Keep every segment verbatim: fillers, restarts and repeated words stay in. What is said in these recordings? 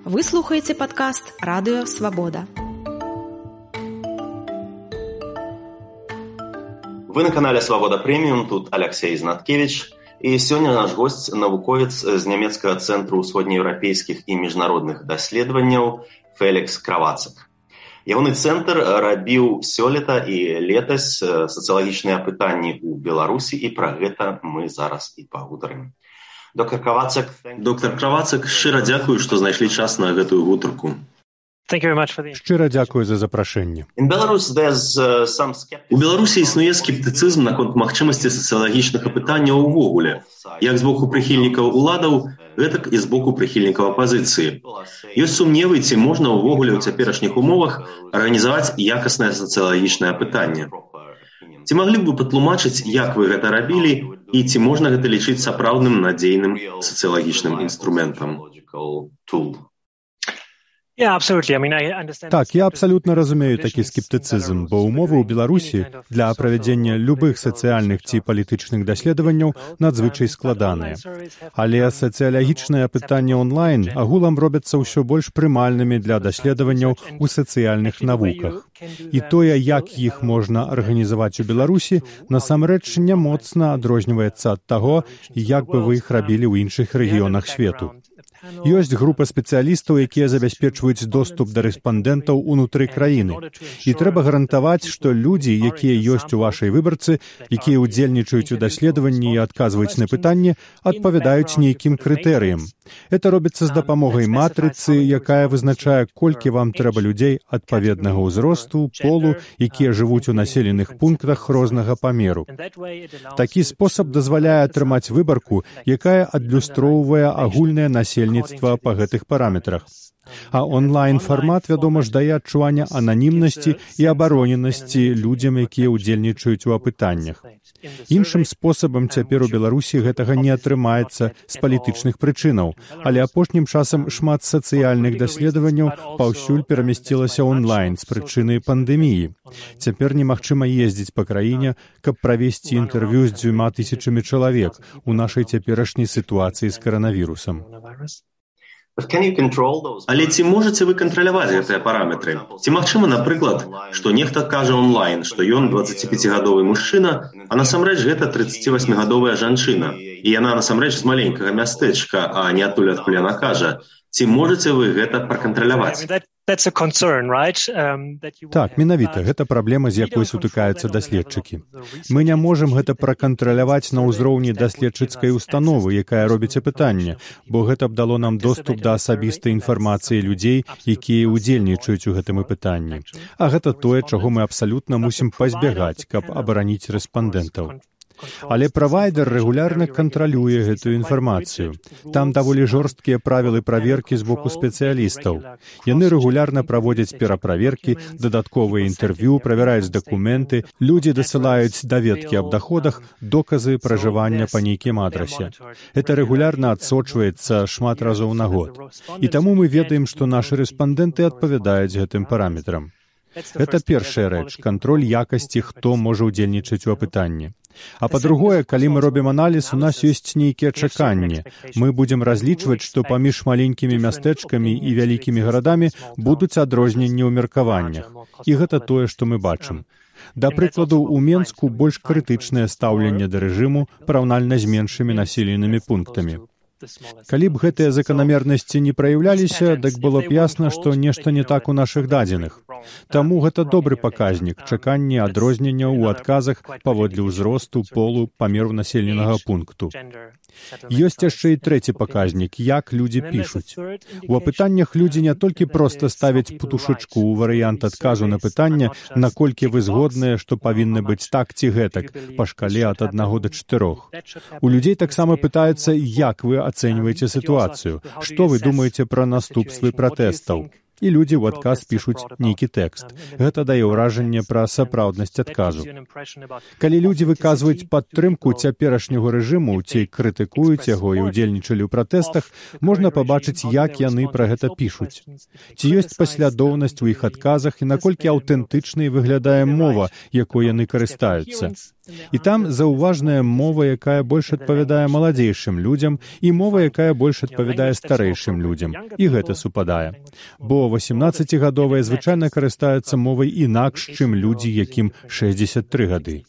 Вы слухаеце падкаст «Радыё Свабода». Вы на канале «Свабода Прэміум», тут Алексей Знаткевич. І сёння наш госць навуковец з нямецкага цэнтру ўсходнееўрапейскіх і міжнародных даследаванняў Фелікс Кравацак. Ягоны цэнтр рабіў сёлета і летась сацыялагічныя апытанні ў Беларусі, і пра гэта мы зараз і пагутарым. Доктор Кравацак, доктор Кравацак, шчыра дзякую, што знайшлі час на гэтую гутарку. Шчыра дзякую за запрашэнне. У Беларусі існуе скептыцызм наконт магчымасці сацыялагічных апытанняў увогуле, як з боку прыхільнікаў уладаў, гэтак і з боку прыхільнікаў апазіцыі. Ёсць сумневы, ці можна ўвогуле ў цяперашніх умовах арганізаваць якаснае сацыялагічнае апытанне. Ці маглі б вы патлумачыць, як вы гэта рабілі, і ці можна гэта лічыць сапраўдным надзейным сацыялагічным інструментам? Так, я абсалютна разумею такі скептыцызм, бо ўмовы ў Беларусі для правядзення любых сацыяльных ці палітычных даследаванняў надзвычай складаныя. Але сацыялагічныя апытанні онлайн агулам робяцца ўсё больш прымальнымі для даследаванняў у сацыяльных навуках. І тое, як іх можна арганізаваць у Беларусі, насамрэч не моцна адрозніваецца ад таго, як бы вы іх рабілі ў іншых рэгіёнах свету. Ёсць група спецыялістаў, якія забяспечваюць доступ да рэспандэнтаў унутры краіны. І трэба гарантаваць, што людзі, якія ёсць у вашай выбарцы, якія ўдзельнічаюць у даследаванні і адказваюць на пытанні, адпавядаюць нейкім крытэрыям. Это робіцца з дапамогай матрыцы, якая вызначае, колькі вам трэба людзей адпаведнага ўзросту, полу, якія жывуць у населеных пунктах рознага памеру. Такі спосаб дазваляе атрымаць выбарку, якая адлюстроўвае агульнае насельніцтва па гэтых параметрах. А онлайн-фармат, вядома ж, дае адчуванне ананімнасці і абароненасці людзям, якія ўдзельнічаюць у апытаннях. Іншым спосабам цяпер у Беларусі гэтага не атрымаецца з палітычных прычынаў, але апошнім часам шмат сацыяльных даследаванняў паўсюль перамясцілася онлайн з прычыны пандэміі. Цяпер немагчыма ездзіць па краіне, каб правесці інтэрв'ю з дзвюма тысячамі чалавек у нашай цяперашняй сітуацыі з каранавірусам. Але ці можаце вы кантраляваць гэтыя параметры? Ці магчыма, напрыклад, што нехта кажа онлайн, што ён дваццаціпяцігадовы мужчына, а насамрэч гэта трыццацівасьмігадовая жанчына, і яна насамрэч з маленькага мястэчка, а не адтуль, адкуль яна кажа. Ці можаце вы гэта пракантраляваць? Так, менавіта, гэта праблема, з якой сутыкаюцца даследчыкі. Мы не можам гэта пракантраляваць на ўзроўні даследчыцкай установы, якая робіць апытанне, бо гэта б дало нам доступ да асабістай інфармацыі людзей, якія ўдзельнічаюць у гэтым апытанні. А гэта тое, чаго мы абсалютна мусім пазбягаць, каб абараніць рэспандэнтаў. Але правайдер рэгулярна кантралюе гэтую інфармацыю. Там даволі жорсткія правілы праверкі з боку спецыялістаў. Яны рэгулярна праводзяць пераправеркі, дадатковыя інтэрв'ю, правяраюць дакументы, людзі дасылаюць даведкі аб даходах, доказы пражывання па нейкім адрасе. Гэта рэгулярна адсочваецца шмат разоў на год. І таму мы ведаем, што нашы рэспандэнты адпавядаюць гэтым параметрам. Гэта першая рэч, кантроль якасці, хто можа ўдзельнічаць у апытанні. А па-другое, калі мы робім аналіз, у нас ёсць нейкія чаканні. Мы будзем разлічваць, што паміж маленькімі мястэчкамі і вялікімі гарадамі будуць адрозненні ў меркаваннях. І гэта тое, што мы бачым. Да прыкладу, у Менску больш крытычнае стаўленне да рэжыму параўнальна з меншымі населенымі пунктамі. Калі б гэтыя заканамернасці не праяўляліся, дык было б ясна, што нешта не так у нашых дадзеных. Таму гэта добры паказнік, чаканне адрозненняў у адказах паводле ўзросту, полу, памеру населенага пункту. Ёсць яшчэ і трэці паказнік, як людзі пішуць. У апытаннях людзі не толькі проста ставяць путушачку ў варыянт адказу на пытанне, наколькі вы згодныя, што павінны быць так ці гэтак, па шкале ад аднаго да чатырох. У людзей таксама пытаюцца, як вы ацэньваеце сітуацыю, што вы думаеце пра наступствы пратэстаў. І людзі ў адказ пішуць нейкі тэкст. Гэта дае ўражанне пра сапраўднасць адказу. Калі людзі выказваюць падтрымку цяперашняга рэжыму ці крытыкуюць яго і ўдзельнічалі ў пратэстах, можна пабачыць, як яны пра гэта пішуць. Ці ёсць паслядоўнасць у іх адказах і наколькі аўтэнтычнай выглядае мова, якой яны карыстаюцца. І там заўважная мова, якая больш адпавядае маладзейшым людзям, і мова, якая больш адпавядае старэйшым людзям. І гэта супадае. Бо васемнаццацігадовыя звычайна карыстаюцца мовай інакш, чым людзі, якім шэсцьдзесят тры гады.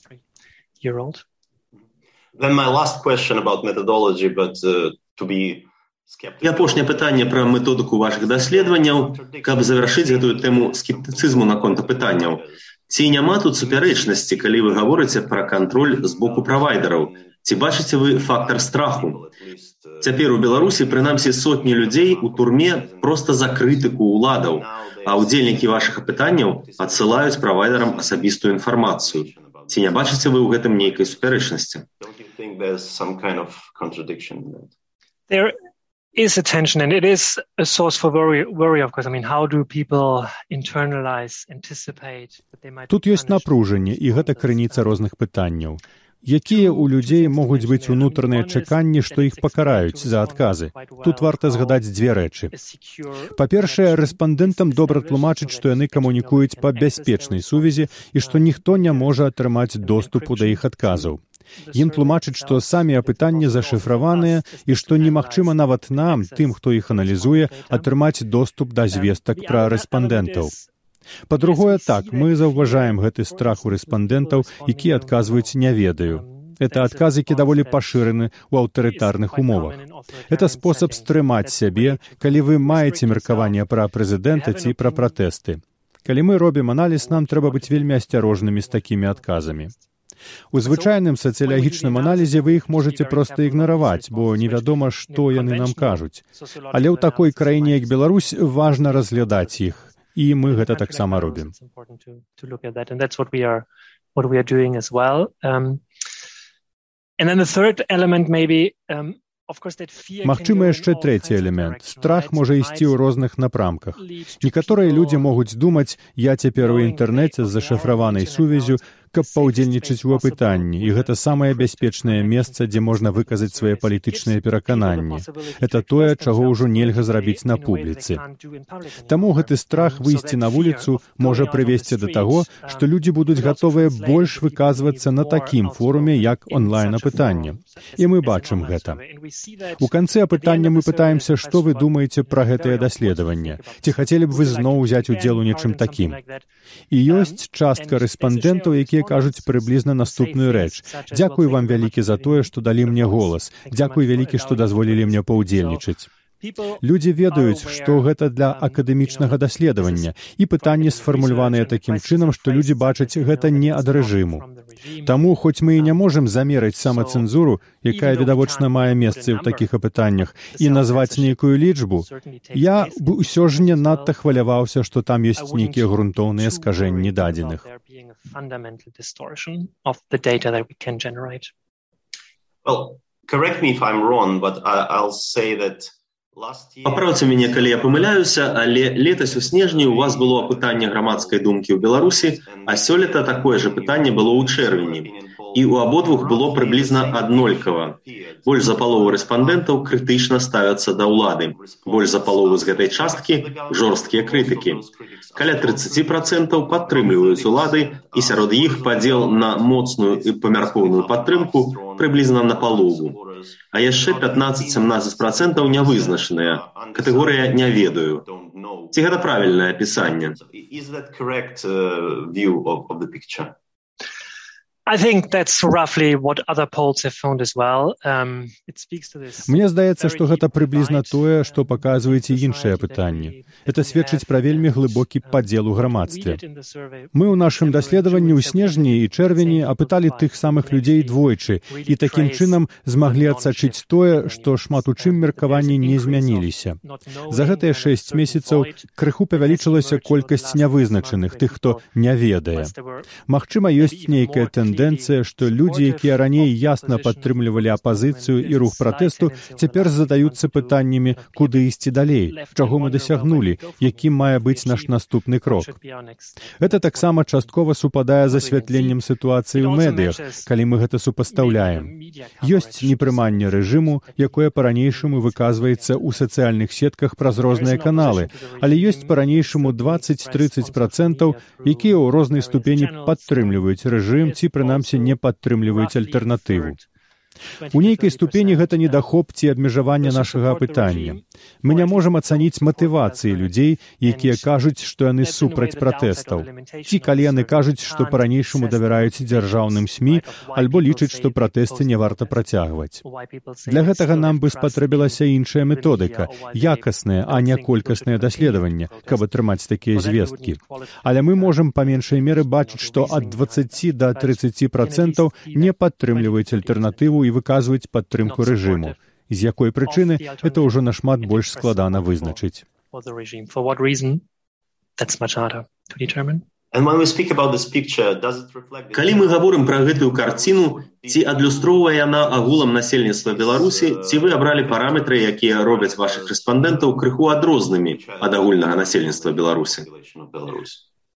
Then my last question about methodology, but uh, to be І апошняе пытанне пра методыку вашых даследаванняў, каб завяршыць гэтую тэму скептыцызму наконт пытанняў. Ці няма тут супярэчнасці, калі вы гаворыце пра кантроль з боку правайдераў? Ці бачыце вы фактар страху? Цяпер у Беларусі прынамсі сотні людзей у турме проста за крытыку ўладаў, а ўдзельнікі вашых апытанняў адсылаюць правайдерам асабістую інфармацыю. Ці не бачыце вы ў гэтым нейкай супярэчнасці? There is a tension, and it is a source for worry, worry, of course. I mean, how do people internalize, anticipate that they might... Тут ёсць напружанне, і гэта крыніца розных пытанняў. Якія ў людзей могуць быць унутраныя чаканні, што іх пакараюць за адказы? Тут варта згадаць дзве рэчы. Па-першае, рэспандэнтам добра тлумачыць, што яны камунікуюць па бяспечнай сувязі і што ніхто не можа атрымаць доступу да іх адказаў. Ім тлумачыць, што самі апытанні зашыфраваныя і што немагчыма нават нам, тым, хто іх аналізуе, атрымаць доступ да звестак пра рэспандэнтаў. Па-другое, так, мы заўважаем гэты страх у рэспандэнтаў, якія адказваюць «не ведаю». Это адказы, які даволі пашыраны ў аўтарытарных умовах. Это спосаб стрымаць сябе, калі вы маеце меркаванне пра прэзідэнта ці пра пратэсты. Калі мы робім аналіз, нам трэба быць вельмі асцярожнымі з такімі адказамі. У звычайным сацыялагічным аналізе вы іх можаце проста ігнараваць, бо невядома, што яны нам кажуць. Але ў такой краіне, як Беларусь, важна разглядаць іх. І мы гэта таксама робім. Магчыма, яшчэ трэці элемент. Страх можа ісці ў розных напрамках. Некаторыя людзі могуць думаць, я цяпер у інтэрнэце з зашыфраванай сувязю, каб паўдзельнічаць у апытанні, і гэта самае бяспечнае месца, дзе можна выказаць свае палітычныя перакананні. Это тое, чаго ўжо нельга зрабіць на публіцы. Таму гэты страх выйсці на вуліцу можа прывесці да таго, што людзі будуць гатовыя больш выказвацца на такім форуме, як онлайн-апытанне. І мы бачым гэта. У канцы апытання мы пытаемся, што вы думаеце пра гэтае даследаванне. Ці хацелі б вы зноў узяць удзел у нечым такім? І ёсць частка рэспандэнтаў, якія кажуць прыблізна наступную рэч. Дзякуй вам вялікі за тое, што далі мне голас. Дзякуй вялікі, што дазволілі мне паўдзельнічаць. Людзі ведаюць, што гэта для акадэмічнага даследавання, і пытанні сфармуляваныя такім чынам, што людзі бачаць гэта не ад рэжыму. Таму, хоць мы і не можам замерыць самацэнзуру, якая відавочна мае месцы ў такіх апытаннях, і назваць нейкую лічбу, я б усё ж не надта хваляваўся, што там ёсць нейкія грунтоўныя скажэнні дадзеных. Well, correct me if I'm wrong, but I'll say that паправце мяне, калі я памыляюся, але летась у снежні у вас было апытанне грамадскай думкі ў Беларусі, а сёлета такое же пытанне было ў чэрвені. І ў абодвух было прыблізна аднолькава. Больш за палову рэспандэнтаў крытычна ставяцца да ўлады. Больш за палову з гэтай часткі жорсткія крытыкі. Каля трыццаць працэнтаў падтрымліваюць улады, і сярод іх падзел на моцную і памяркоўную падтрымку прыблізна на палову. А яшчэ пятнаццаць-сямнаццаць працэнтаў нявызначаныя. Катэгорыя «не ведаю». Ці гэта правільнае апісанне? I think that's roughly what other polls have found as well. Um, it speaks to this. Мне здаецца, што гэта прыблізна тое, што паказваюць і іншыя пытанні. Это сведчыць пра вельмі глыбокі падзел у грамадстве. Мы ў нашым даследаванні ў снежні і чэрвені апыталі тых самых людзей двойчы і такім чынам змаглі адсачыць тое, што шмат у чым меркаванні не змяніліся. За гэтыя шэсць месяцаў крыху павялічылася колькасць нявызначаных, тых, хто не ведае. Магчыма, ёсць нейкая тэндэнцыя, Тэндэнцыя, што людзі, якія раней ясна падтрымлівалі апазіцыю і рух пратэсту, цяпер задаюцца пытаннямі, куды ісці далей, чаго мы дасягнулі, якім мае быць наш наступны крок. Гэта таксама часткова супадае з асвятленнем сітуацыі ў медыях, калі мы гэта супастаўляем. Ёсць непрыманне рэжыму, якое па-ранейшаму выказваецца ў сацыяльных сетках праз розныя каналы, але ёсць па-ранейшаму дваццаць-трыццаць працэнтаў, якія ў рознай ступені падтрымліваюць рэжым ці прынамсі прынамсі не падтрымліваюць альтэрнатыву. У нейкай ступені гэта недахоп ці абмежаванне нашага апытання. Мы не можам ацаніць матывацыі людзей, якія кажуць, што яны супраць пратэстаў. Ці калі яны кажуць, што па-ранейшаму давяраюць дзяржаўным СМІ, альбо лічаць, што пратэсты не варта працягваць. Для гэтага нам бы спатрэбілася іншая методыка, якаснае, а не колькаснае даследаванне, каб атрымаць такія звесткі. Але мы можам па меншай меры бачыць, што ад дваццаці да трыццаці працэнтаў не падтрымліваюць альтэрнатыву і выказваюць падтрымку рэжыму. З якой прычыны, гэта ўжо нашмат больш складана вызначыць. Калі мы гаворым пра гэтую карціну, ці адлюстроўвае яна агулам насельніцтва Беларусі, ці вы абралі параметры, якія робяць вашых рэспандэнтаў крыху адрознымі ад агульнага насельніцтва Беларусі?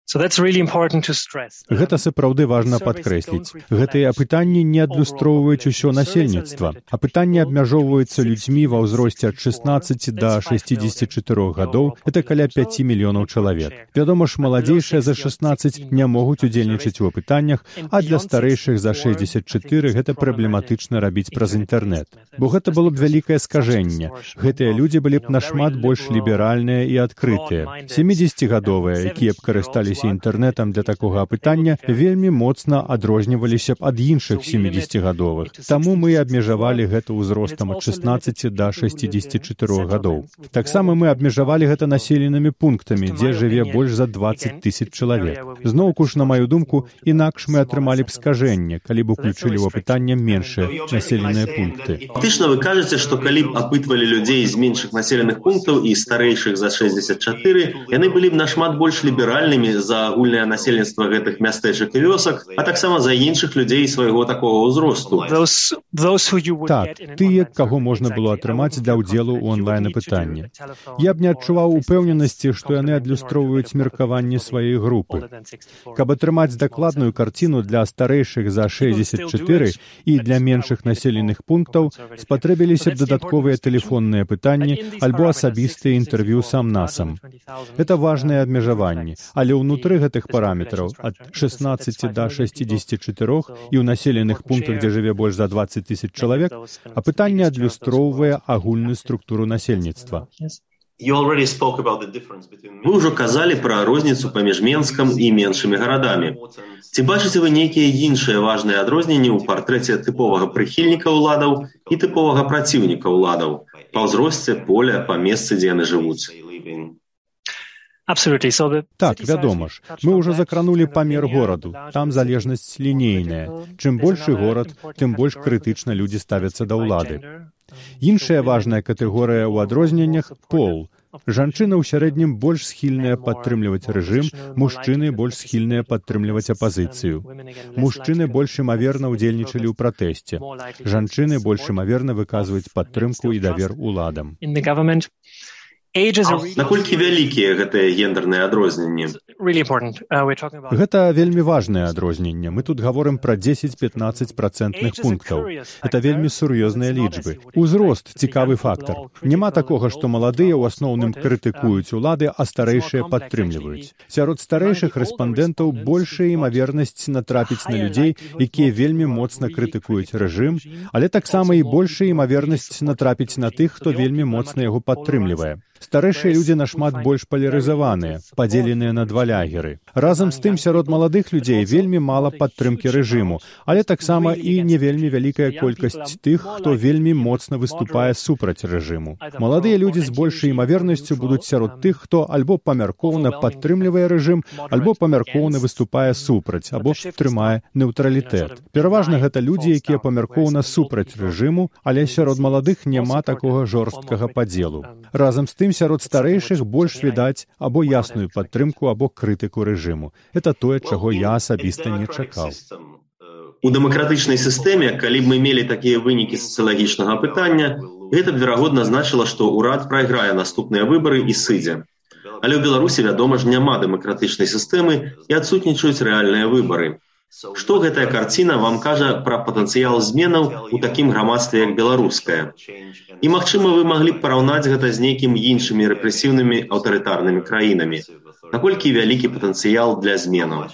Гэта сапраўды важна падкрэсліць. Гэтыя апытанні не адлюстроўваюць усё насельніцтва. Апытанні абмяжоўваюцца людзьмі ва ўзросце ад шаснаццаці да шэсцідзесяці чатырох гадоў, гэта каля пяці мільёнаў чалавек. Вядома ж, маладзейшыя за шаснаццаць не могуць удзельнічаць у апытаннях, а для старэйшых за шэсцьдзесят чатыры гэта праблематычна рабіць праз інтэрнэт. Бо гэта было б вялікае скажэнне. Гэтыя людзі былі б нашмат больш ліберальныя і адкрытыя. сямідзесяцігадовыя, якія б карысталіся інтэрнэтам для такога апытання, вельмі моцна адрозніваліся б ад іншых сямідзесяцігадовых. Таму мы абмежавалі гэта ўзростам ад шаснаццаці да шэсцідзесяці чатырох гадоў. Таксама мы абмежавалі гэта населенымі пунктамі, дзе жыве больш за дваццаць тысяч чалавек. Зноўку ж, на маю думку, інакш мы атрымалі б скажэнне, калі б уключылі ў апытанне меншыя населеныя пункты. Фактычна вы кажаце, што калі б апытвалі людзей з меншых населеных пунктаў і старэйшых за шэсцьдзесят чатыры, яны былі б нашмат больш ліберальнымі за агульнае насельніцтва гэтых мястэчак і вёсак, а таксама за іншых людзей свайго такога ўзросту. Так, тыя, каго можна было атрымаць для ўдзелу ў онлайн-апытанні. Я б не адчуваў упэўненасці, што яны адлюстроўваюць меркаванне сваёй групы. Каб атрымаць дакладную карціну для старэйшых за шэсцьдесят чатыры і для меншых населеных пунктаў, спатрэбіліся б дадатковыя тэлефонныя пытанні альбо асабістыя інтэрв'ю сам-насам. Гэта важныя абмежаванні, але ўнутры гэтых параметраў ад шаснаццаці да шэсцідзесяці чатырох і ў населеных пунктах, дзе жыве больш за дваццаць тысяч чалавек, апытанне адлюстроўвае агульную структуру насельніцтва. Вы ўжо казалі пра розніцу паміж Менскам і меншымі гарадамі. Ці бачыце вы нейкія іншыя важныя адрозненні ў партрэце тыповага прыхільніка ўладаў і тыповага праціўніка ўладаў? Па ўзросце, поля, па месцы, дзе яны жывуць? Так, вядома ж. Мы ўжо закранулі памер гораду. Там залежнасць лінейная. Чым большы горад, тым больш крытычна людзі ставяцца да ўлады. Іншая важная катэгорыя ў адрозненнях – пол. Жанчыны ў сярэднім больш схільныя падтрымліваць рэжым, мужчыны больш схільныя падтрымліваць апазіцыю. Мужчыны больш імаверна ўдзельнічалі ў пратэсце. Жанчыны больш імаверна выказваюць падтрымку і давер уладам. Наколькі вялікія гэтыя гендерныя адрозненні? Гэта вельмі важнае адрозненне. Мы тут гаворым пра дзесяць-пятнаццаць працэнтных пунктаў. Это вельмі сур'ёзныя лічбы. Узрост – цікавы фактар. Няма такога, што маладыя ў асноўным крытыкуюць улады, а старэйшыя падтрымліваюць. Сярод старэйшых рэспандэнтаў большая імавернасць натрапіць на людзей, якія вельмі моцна крытыкуюць рэжым, але таксама і большая імавернасць натрапіць на тых, хто вельмі моцна яго падтрымлівае. Старэйшыя людзі нашмат больш палярызаваныя, падзеленыя на два лагеры. Разам з тым, сярод маладых людзей вельмі мала падтрымкі рэжыму, але таксама і не вельмі вялікая колькасць тых, хто вельмі моцна выступае супраць рэжыму. Маладыя людзі з большай імавернасцю будуць сярод тых, хто альбо памяркоўна падтрымлівае рэжым, альбо памяркоўна выступае супраць, або трымае нейтралітэт. Пераважна гэта людзі, якія памяркоўна супраць рэжыму, але сярод маладых няма такога жорсткага падзелу. Разам з тым, сярод старэйшых больш відаць або ясную падтрымку, або крытыку рэжыму. Это тое, чаго я асабіста не чакаў. У дэмакратычнай сістэме, калі б мы мелі такія вынікі сацыялагічнага апытання, гэта б, верагодна, значыла, што ўрад прайграе наступныя выбары і сыдзе. Але ў Беларусі, вядома ж, няма дэмакратычнай сістэмы і адсутнічаюць рэальныя выбары. Што гэтая карціна вам кажа пра патэнцыял зменаў у такім грамадстве, як беларускае? І, магчыма, вы маглі б параўнаць гэта з нейкімі іншымі рэпрэсіўнымі аўтарытарнымі краінамі. Наколькі вялікі патэнцыял для зменаў?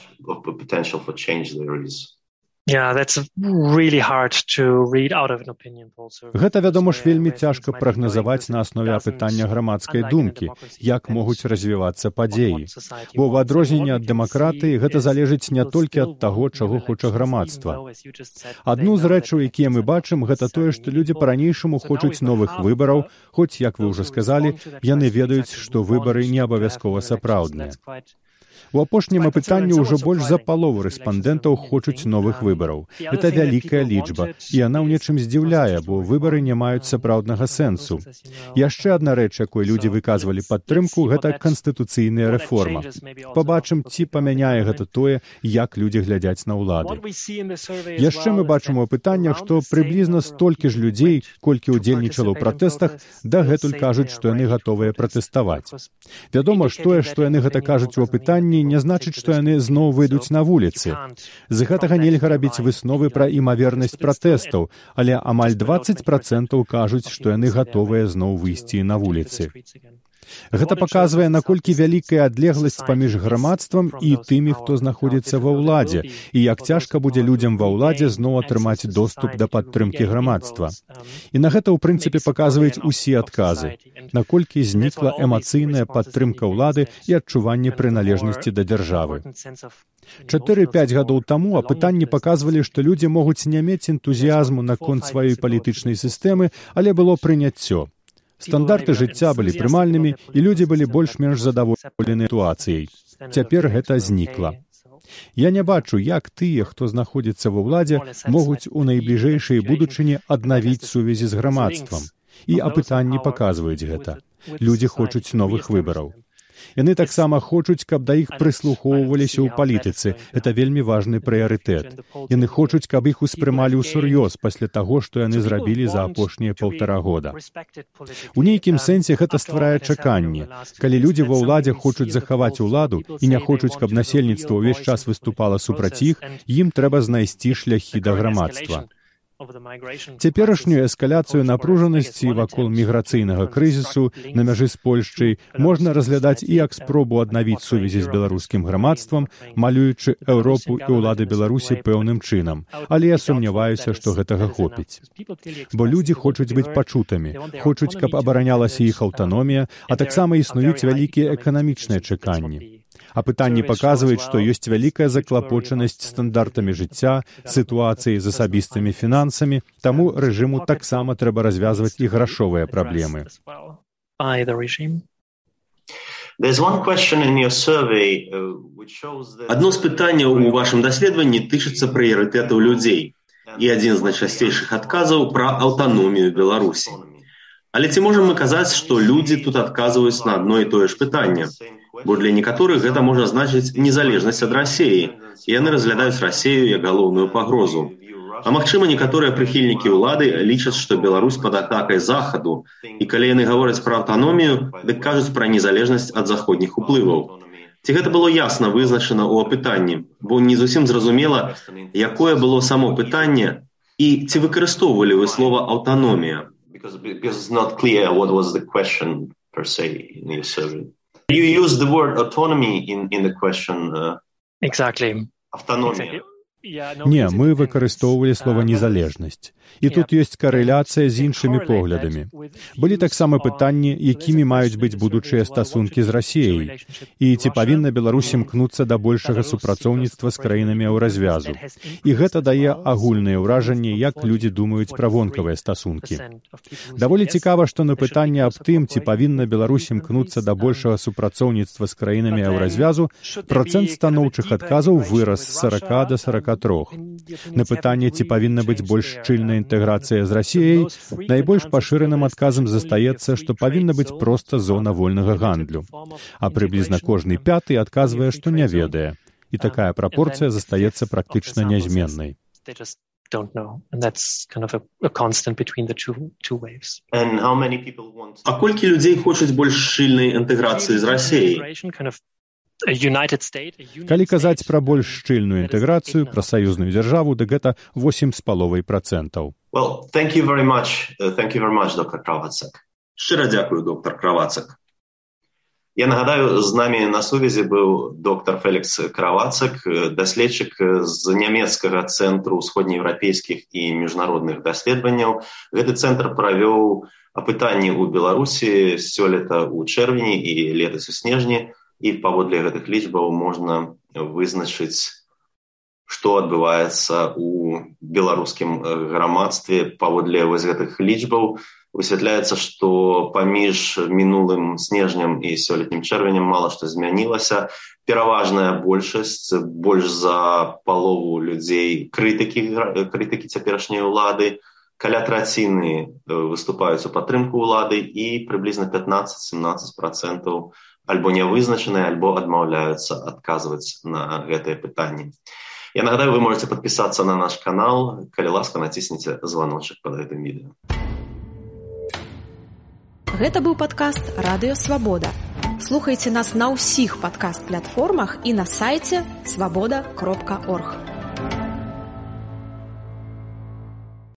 Yeah, that's really hard to read out of an opinion poll survey. Гэта, вядома ж, вельмі цяжка прагназаваць на аснове апытання грамадскай думкі, як могуць развівацца падзеі. Бо ў адрозненне ад дэмакратыі гэта залежыць не толькі ад таго, чаго хоча грамадства. Адну з рэчаў, якія мы бачым, гэта тое, што людзі па-ранейшаму хочуць новых выбараў, хоць, як вы ўжо сказалі, яны ведаюць, што выбары не абавязкова сапраўдныя. У апошнім апытанні ўжо больш за палову рэспандэнтаў хочуць новых выбараў. Гэта вялікая лічба, і яна ў нечым здзіўляе, бо выбары не маюць сапраўднага сэнсу. Яшчэ адна рэч, якой людзі выказвалі падтрымку, гэта канстытуцыйная рэформа. Пабачым, ці памяняе гэта тое, як людзі глядзяць на ўлады. Яшчэ мы бачым у апытаннях, што прыблізна столькі ж людзей, колькі ўдзельнічала ў пратэстах, дагэтуль кажуць, што яны гатовыя пратэставаць. Вядома ж тое, што яны гэта кажуць у апытанні, не значыць, што яны зноў выйдуць на вуліцы. З гэтага нельга рабіць высновы пра імавернасць пратэстаў, але амаль дваццаць працэнтаў кажуць, што яны гатовыя зноў выйсці на вуліцы. Гэта паказвае, наколькі вялікая адлегласць паміж грамадствам і тымі, хто знаходзіцца ва ўладзе, і як цяжка будзе людзям ва ўладзе зноў атрымаць доступ да падтрымкі грамадства. І на гэта, ў прынцыпе, паказваюць усе адказы, наколькі знікла эмацыйная падтрымка ўлады і адчуванне прыналежнасці да дзяржавы. чатыры-пяць гадоў таму апытанні паказвалі, што людзі могуць не мець энтузіязму наконт сваёй палітычнай сістэмы, але было прыняццё. Стандарты жыцця былі прымальнымі, і людзі былі больш-менш задаволены сітуацыяй. Цяпер гэта знікла. Я не бачу, як тыя, хто знаходзіцца ва ўладзе, могуць у найбліжэйшай будучыні аднавіць сувязі з грамадствам. І апытанні паказваюць гэта. Людзі хочуць новых выбараў. Яны таксама хочуць, каб да іх прыслухоўваліся ў палітыцы. Гэта вельмі важны прыярытэт. Яны хочуць, каб іх успрымалі ўсур'ёз пасля таго, што яны зрабілі за апошнія паўтара года. У нейкім сэнсе гэта стварае чаканне. Калі людзі ва ўладзе хочуць захаваць уладу і не хочуць, каб насельніцтва ўвесь час выступала супраць іх, ім трэба знайсці шляхі да грамадства. Цяперашнюю эскаляцыю напружанасці вакол міграцыйнага крызісу на мяжы з Польшчай можна разглядаць і як спробу аднавіць сувязі з беларускім грамадствам, малюючы Еўропу і ўлады Беларусі пэўным чынам. Але я сумняваюся, што гэтага хопіць. Бо людзі хочуць быць пачутымі, хочуць, каб абаранялася іх аўтаномія, а таксама існуюць вялікія эканамічныя чаканні. Апытанні паказваюць, што ёсць вялікая заклапочанасць стандартамі жыцця, сітуацыяй з асабістымі фінансамі, таму рэжыму таксама трэба развязваць і грашовыя праблемы. Адно з пытанняў у вашым даследаванні тычыцца прыярытэтаў людзей. І адзін з найчасцейшых адказаў пра аўтаномію Беларусі. Але ці можам мы казаць, што людзі тут адказваюць на адно і тое ж пытанне? Бо для некаторых гэта можа значыць незалежнасць ад Расіі, і яны разглядаюць Расію як галоўную пагрозу. А магчыма, некаторыя прыхільнікі ўлады лічаць, што Беларусь пад атакай Захаду, і калі яны гавораць пра аўтаномію, дык кажуць пра незалежнасць ад заходніх уплываў. Ці гэта было ясна вызначана ў апытанні, бо не зусім зразумела, якое было само пытанне, і ці выкарыстоўвалі вы слова «аўтаномія»? You use the word autonomy in, in the question. Uh, exactly. Автономия. Не, мы выкарыстоўвалі слова «незалежнасць». І тут ёсць карэляцыя з іншымі поглядамі. Былі таксама пытанні, якімі маюць быць будучыя стасункі з Расіяй, і ці павінна Беларусь імкнуцца да большага супрацоўніцтва з краінамі еўразвязу. І гэта дае агульнае ўражанне, як людзі думаюць пра вонкавыя стасункі. Даволі цікава, што на пытанне аб тым, ці павінна Беларусь імкнуцца да большага супрацоўніцтва з краінамі еўразвязу, працэнт станоўчых адказаў вырас з сарака да сарака трох. На пытанне, ці павінна быць больш шчыльная інтэграцыя з Расіяй, найбольш пашыраным адказам застаецца, што павінна быць проста зона вольнага гандлю. А прыблізна кожны пяты адказвае, што не ведае. І такая прапорцыя застаецца практычна нязменнай. А колькі людзей хочуць больш шчыльнай інтэграцыі з Расіяй? Калі казаць пра больш шчыльную інтэграцыю, пра саюзную дзяржаву, дык гэта восем з паловай працэнтаў. Well, thank you very much. Uh, thank you very much, доктор Кравацак. Шчыра дзякую, доктор Кравацак. Я нагадаю, з намі на сувязі быў доктар Фелікс Кравацак, даследчык з нямецкага цэнтру ўсходнееўрапейскіх і міжнародных даследаванняў. Гэты цэнтр правёў апытанні ў Беларусі сёлета ў чэрвені і летась у снежні, і паводле гэтых лічбаў можна вызначыць, што адбываецца ў беларускім грамадстве. Паводле вось гэтых лічбаў высвятляецца, што паміж мінулым снежнем і сёлетнім чэрвенем мала што змянілася. Пераважная большасць, больш за палову людзей крытыкі, крытыкі цяперашняй улады, каля траціны выступаюць у падтрымку ўлады і прыблізна пятнаццаць-семнаццаць працэнтаў альбо нявызначаныя, альбо адмаўляюцца адказваць на гэтыя пытанні. Я нагадаю, вы можете подписаться на наш канал, калі ласка, націсніце званочак под гэтым відэо. Гэта быў падкаст «Радыё Свабода». Слухайце нас на ўсіх падкаст-платформах і на сайце свабода кропка орг.